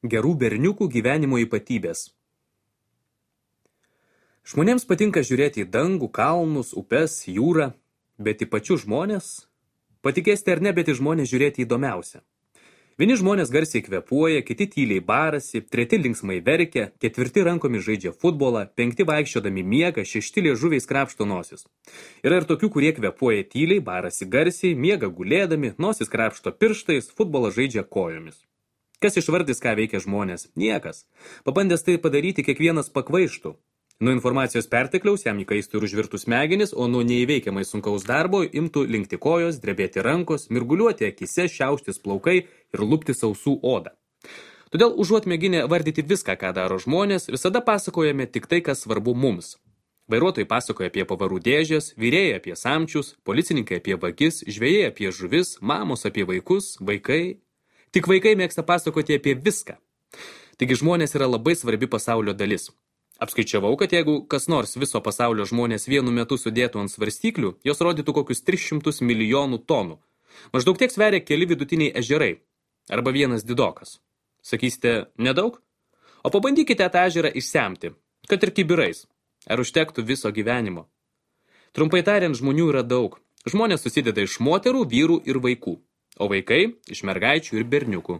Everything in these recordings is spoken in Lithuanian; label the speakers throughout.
Speaker 1: Gerų berniukų gyvenimo ypatybės. Žmonėms patinka žiūrėti į dangų, kalnus, upes, jūrą, bet į pačius žmonės, patikėsite ar ne, bet į žmonės žiūrėti įdomiausia. Vieni žmonės garsiai kvėpuoja, kiti tyliai barasi, treti linksmai verkia, ketvirti rankomis žaidžia futbolą, penkti vaikščiodami miega, šešti liežuviais krapšto nosis. Yra ir tokių, kurie kvėpuoja tyliai, barasi garsiai, miega gulėdami, nosis krapšto pirštais, futbolą žaidžia kojomis. Kas išvardys, ką veikia žmonės? Niekas. Pabandęs tai padaryti, kiekvienas pakvaištų. Nuo informacijos pertekliaus jam įkaistų ir užvirtų smegenis, o nuo neįveikiamai sunkaus darbo imtų linkti kojos, drebėti rankos, mirguliuoti akise, šiauštis plaukai ir lupti sausų odą. Todėl užuot mėginę vardyti viską, ką daro žmonės, visada pasakojame tik tai, kas svarbu mums. Vairuotojai pasakoja apie pavarų dėžės, vyrėjai apie samčius, policininkai apie vagis, žvejai apie žuvis, mamos apie vaikus, vaikai. Tik vaikai mėgsta pasakoti apie viską. Taigi žmonės yra labai svarbi pasaulio dalis. Apskaičiavau, kad jeigu kas nors viso pasaulio žmonės vienu metu sudėtų ant svarstyklių, jos rodytų kokius 300 milijonų tonų. Maždaug tiek sveria keli vidutiniai ežerai. Arba vienas didokas. Sakysite, nedaug? O pabandykite tą ežerą išsemti, kad ir kibirais. Ar užtektų viso gyvenimo? Trumpai tariant, žmonių yra daug. Žmonės susideda iš moterų, vyrų ir vaikų. O vaikai iš mergaičių ir berniukų.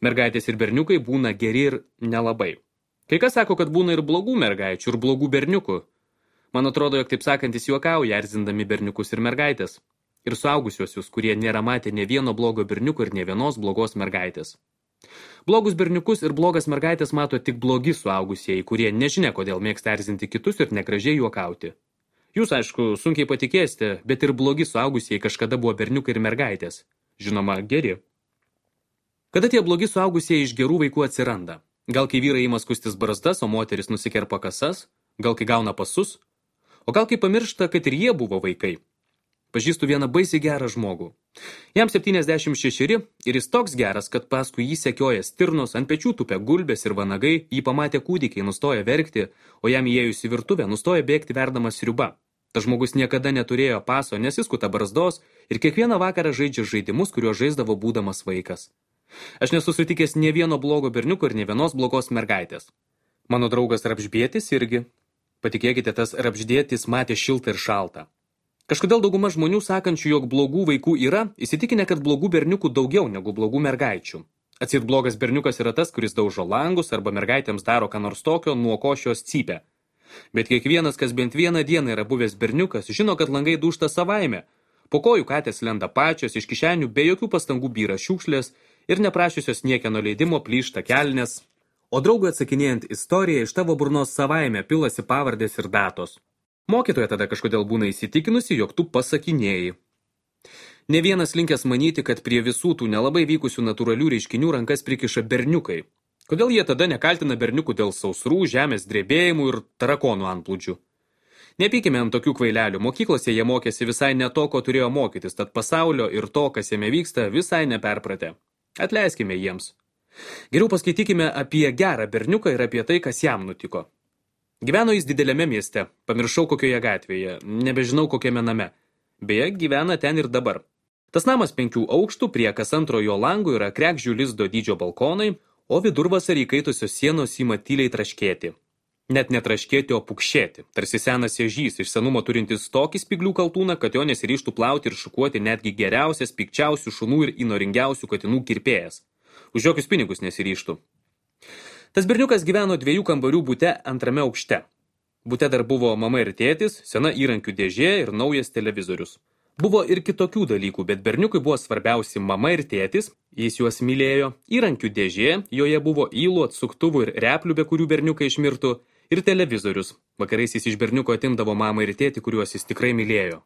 Speaker 1: Mergaitės ir berniukai būna geri ir nelabai. Kai kas sako, kad būna ir blogų mergaičių, ir blogų berniukų. Man atrodo, jog taip sakantis juokauja, erzindami berniukus ir mergaitės. Ir suaugusiuosius, kurie nėra matę ne vieno blogo berniuko ir ne vienos blogos mergaitės. Blogus berniukus ir blogas mergaitės mato tik blogi suaugusieji, kurie nežinia, kodėl mėgsta erzinti kitus ir negražiai juokauti. Jūs, aišku, sunkiai patikėsite, bet ir blogi suaugusieji kažkada buvo berniukai ir mergaitės. Žinoma, geri. Kada tie blogi suaugusieji iš gerų vaikų atsiranda? Gal kai vyrai ima skustis barzdas, o moteris nusikerpa kasas? Gal kai gauna pasus? O gal kai pamiršta, kad ir jie buvo vaikai? Pažįstu vieną baisiai gerą žmogų. Jam 76 ir jis toks geras, kad paskui jį sekioja stirnos, ant pečių tupia gulbės ir vanagai, jį pamatę kūdikiai nustoja verkti, o jam įėjus į virtuvę nustoja bėgti verdamas sriuba. Tas žmogus niekada neturėjo paso, nesiskuta barzdos ir kiekvieną vakarą žaidžia žaidimus, kuriuos žaisdavo būdamas vaikas. Aš nesu sutikęs nė vieno blogo berniuko ir nė vienos blogos mergaitės. Mano draugas Rapždėtis irgi. Patikėkite, tas Rapždėtis matė šiltą ir šaltą. Kažkodėl dauguma žmonių sakančių, jog blogų vaikų yra, įsitikinę, kad blogų berniukų daugiau negu blogų mergaičių. Atseit blogas berniukas yra tas, kuris daužo langus arba mergaitėms daro ką nors tokio, nuo ko šios cypia. Bet kiekvienas, kas bent vieną dieną yra buvęs berniukas, žino, kad langai dūžta savaime. Po kojų katės lenda pačios, iš kišenių be jokių pastangų byra šiukšlės ir neprašiusios niekieno leidimo plyšta kelnes, o draugui atsakinėjant istoriją iš tavo burnos savaime pilasi pavardės ir datos. Mokytoja tada kažkodėl būna įsitikinusi, jog tu pasakinėjai. Ne vienas linkęs manyti, kad prie visų tų nelabai vykusių natūralių reiškinių rankas prikiša berniukai. Kodėl jie tada nekaltina berniukų dėl sausrų, žemės drebėjimų ir tarakonų antplūdžių? Nepykime ant tokių kvailelių, mokyklose jie mokėsi visai ne to, ko turėjo mokytis, tad pasaulio ir to, kas jame vyksta, visai neperpratė. Atleiskime jiems. Geriau paskaitykime apie gerą berniuką ir apie tai, kas jam nutiko. Gyveno jis dideliame mieste, pamiršau kokioje gatvėje, nebežinau kokiame name. Beje, gyvena ten ir dabar. Tas namas 5 aukštų, prie kas antro jo langų yra kregždžių lizdo dydžio balkonai, o vidurvasarį įkaitusios sienos ima tyliai traškėti. Net netraškėti, o pukšėti, tarsi senas ežys, iš senumo turintis tokį spyglių kaltūną, kad jo nesiryžtų plauti ir šukuoti netgi geriausias, pikčiausių šunų ir įnoringiausių katinų kirpėjas. Už jokius pinigus nesiryžtų. Tas berniukas gyveno 2 kambarių bute 2 aukšte. Bute dar buvo mama ir tėtis, sena įrankių dėžė ir naujas televizorius. Buvo ir kitokių dalykų, bet berniukui buvo svarbiausi mama ir tėtis, jis juos mylėjo, įrankių dėžė, joje buvo ylų, atsuktuvų ir replių, be kurių berniukai išmirtų, ir televizorius. Vakarais jis iš berniuko atimdavo mamą ir tėtį, kuriuos jis tikrai mylėjo.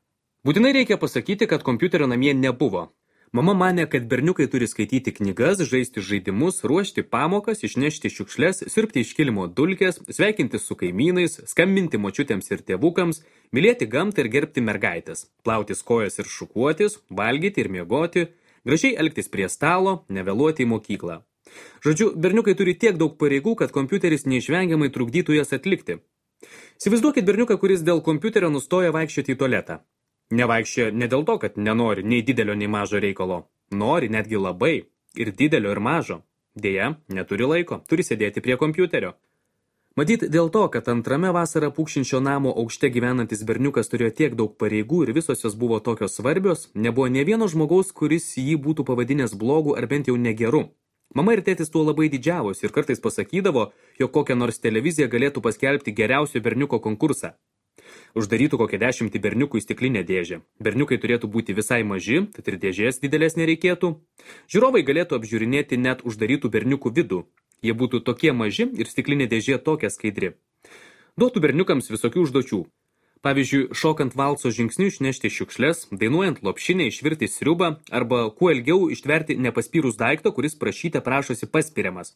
Speaker 1: Būtinai reikia pasakyti, kad kompiuterio namie nebuvo. Mama manė, kad berniukai turi skaityti knygas, žaisti žaidimus, ruošti pamokas, išnešti šiukšles, siurbti iš kilimo dulkes, sveikinti su kaimynais, skambinti močiutėms ir tėvukams, mylėti gamtą ir gerbti mergaitės, plautis kojas ir šukuotis, valgyti ir miegoti, gražiai elgtis prie stalo, nevėluoti į mokyklą. Žodžiu, berniukai turi tiek daug pareigų, kad kompiuteris neišvengiamai trukdytų jas atlikti. Įsivaizduokit berniuką, kuris dėl kompiuterio nustoja vaikščioti į tualetą. Nevaikščia ne dėl to, kad nenori nei didelio, nei mažo reikalo. Nori netgi labai. Ir didelio, ir mažo. Deja, neturi laiko, turi sėdėti prie kompiuterio. Matyt, dėl to, kad antrame vasarą pūkšinčio namo aukšte gyvenantis berniukas turėjo tiek daug pareigų ir visos jos buvo tokios svarbios, nebuvo nė vieno žmogaus, kuris jį būtų pavadinęs blogu ar bent jau negeru. Mama ir tėtis tuo labai didžiavosi ir kartais pasakydavo, jog kokią nors televiziją galėtų paskelbti geriausio berniuko konkursą. Uždarytų kokią 10 berniukų į stiklinę dėžę. Berniukai turėtų būti visai maži, tad ir dėžės didelės nereikėtų. Žiūrovai galėtų apžiūrinėti net uždarytų berniukų vidų. Jie būtų tokie maži ir stiklinė dėžė tokia skaidri. Duotų berniukams visokių užduočių. Pavyzdžiui, šokant valso žingsniu išnešti šiukšles, dainuojant lopšinę išvirti sriubą arba kuo ilgiau ištverti nepaspyrus daikto, kuris prašyte prašosi paspiriamas.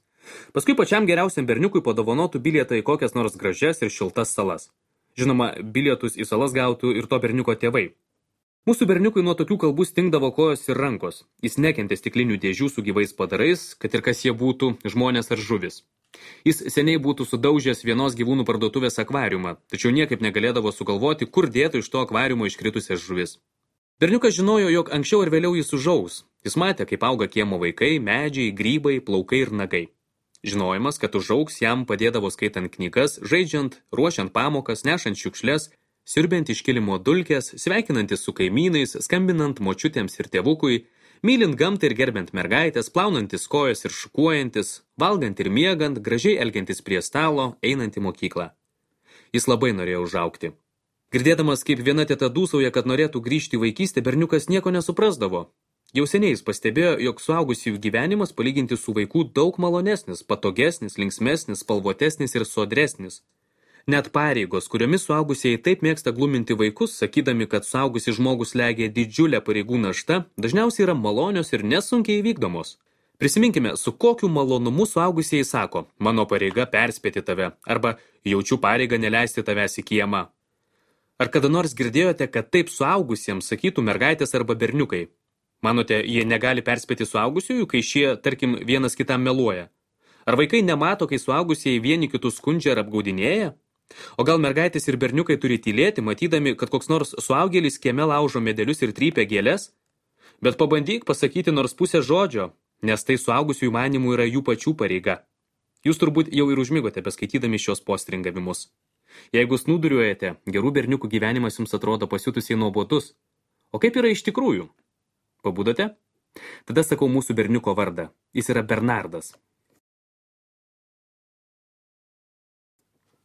Speaker 1: Paskui pačiam geriausiam berniukui padovanotų bilietą į kokias nors gražias ir šiltas salas. Žinoma, bilietus į salas gautų ir to berniuko tėvai. Mūsų berniukui nuo tokių kalbų stingdavo kojos ir rankos. Jis nekentė stiklinių dėžių su gyvais padarais, kad ir kas jie būtų, žmonės ar žuvis. Jis seniai būtų sudaužęs vienos gyvūnų parduotuvės akvariumą, tačiau niekaip negalėdavo sugalvoti, kur dėtų iš to akvariumo iškritusias žuvis. Berniukas žinojo, jog anksčiau ir vėliau jis užaus. Jis matė, kaip auga kiemo vaikai, medžiai, grybai, plaukai ir nagai. Žinojimas, kad užaugs, jam padėdavo skaitant knygas, žaidžiant, ruošiant pamokas, nešant šiukšles, siurbiant iš kilimo dulkės, sveikinantis su kaimynais, skambinant močiutėms ir tėvukui, mylint gamtą ir gerbiant mergaitės, plaunantis kojas ir šukuojantis, valgant ir miegant, gražiai elgiantis prie stalo, einant į mokyklą. Jis labai norėjo užaugti. Girdėdamas, kaip viena teta dūsauja, kad norėtų grįžti į vaikystę, berniukas nieko nesuprasdavo. Jau seniai jis pastebėjo, jog suaugusiųjų gyvenimas palyginti su vaikų daug malonesnis, patogesnis, linksmesnis, spalvotesnis ir sodresnis. Net pareigos, kuriomis suaugusieji taip mėgsta gluminti vaikus, sakydami, kad suaugusi žmogus legia didžiulę pareigų naštą, dažniausiai yra malonios ir nesunkiai įvykdomos. Prisiminkime, su kokiu malonumu suaugusieji sako, mano pareiga perspėti tave, arba jaučiu pareigą neleisti tavęs į kiemą. Ar kada nors girdėjote, kad taip suaugusiems sakytų mergaitės arba berniukai? Manote, jie negali perspėti suaugusiųjų, kai šie, tarkim, vienas kitam meluoja? Ar vaikai nemato, kai suaugusieji vieni kitus skundžia ar apgaudinėja? O gal mergaitės ir berniukai turi tylėti, matydami, kad koks nors suaugėlis kieme laužo medelius ir trypia gėles? Bet pabandyk pasakyti nors pusę žodžio, nes tai suaugusiųjų manimų yra jų pačių pareiga. Jūs turbūt jau ir užmigote beskaitydami šios postringavimus. Jeigu snūduriuojate, gerų berniukų gyvenimas jums atrodo pasiutusiai nuobodus. O kaip yra iš tikrųjų? Pabudote? Tada sakau mūsų berniuko vardą. Jis yra Bernardas.